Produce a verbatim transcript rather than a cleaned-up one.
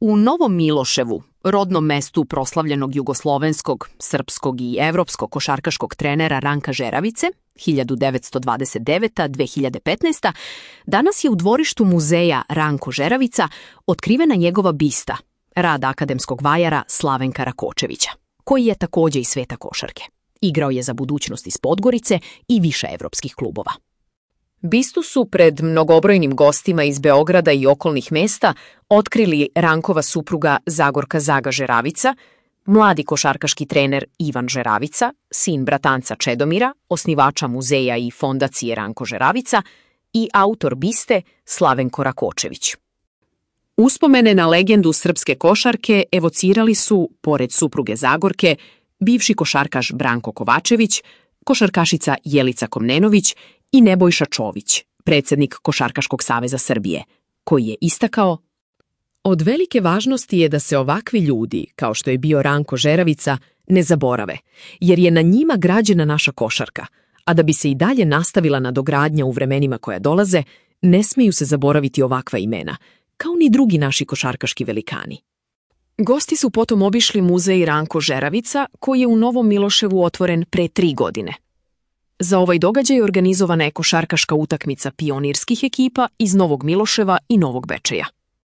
U Novom Miloševu, rodnom mestu proslavljenog jugoslovenskog, srpskog i evropskog košarkaškog trenera Ranka Žeravice, hiljadu devetsto dvadeset deveta do dve hiljade petnaeste. danas je u dvorištu muzeja Ranko Žeravica otkrivena njegova bista, rad akademskog vajara Slavenka Rakočevića, koji je takođe iz sveta košarke. Igrao je za Budućnost iz Podgorice i više evropskih klubova. Bistu su pred mnogobrojnim gostima iz Beograda i okolnih mesta otkrili Rankova supruga Zagorka Zaga Žeravica, mladi košarkaški trener Ivan Žeravica, sin bratanca Čedomira, osnivača muzeja i fondacije Ranko Žeravica i autor biste Slavenko Rakočević. Uspomene na legendu srpske košarke evocirali su, pored supruge Zagorke, bivši košarkaš Branko Kovačević, košarkašica Jelica Komnenović i Nebojša Čović, predsjednik Košarkaškog saveza Srbije, koji je istakao: od velike važnosti je da se ovakvi ljudi, kao što je bio Ranko Žeravica, ne zaborave, jer je na njima građena naša košarka, a da bi se i dalje nastavila nadogradnja u vremenima koja dolaze, ne smeju se zaboraviti ovakva imena, kao ni drugi naši košarkaški velikani. Gosti su potom obišli muzej Ranko Žeravica, koji je u Novom Miloševu otvoren pre tri godine. Za ovaj događaj organizovana je košarkaška utakmica pionirskih ekipa iz Novog Miloševa i Novog Bečeja.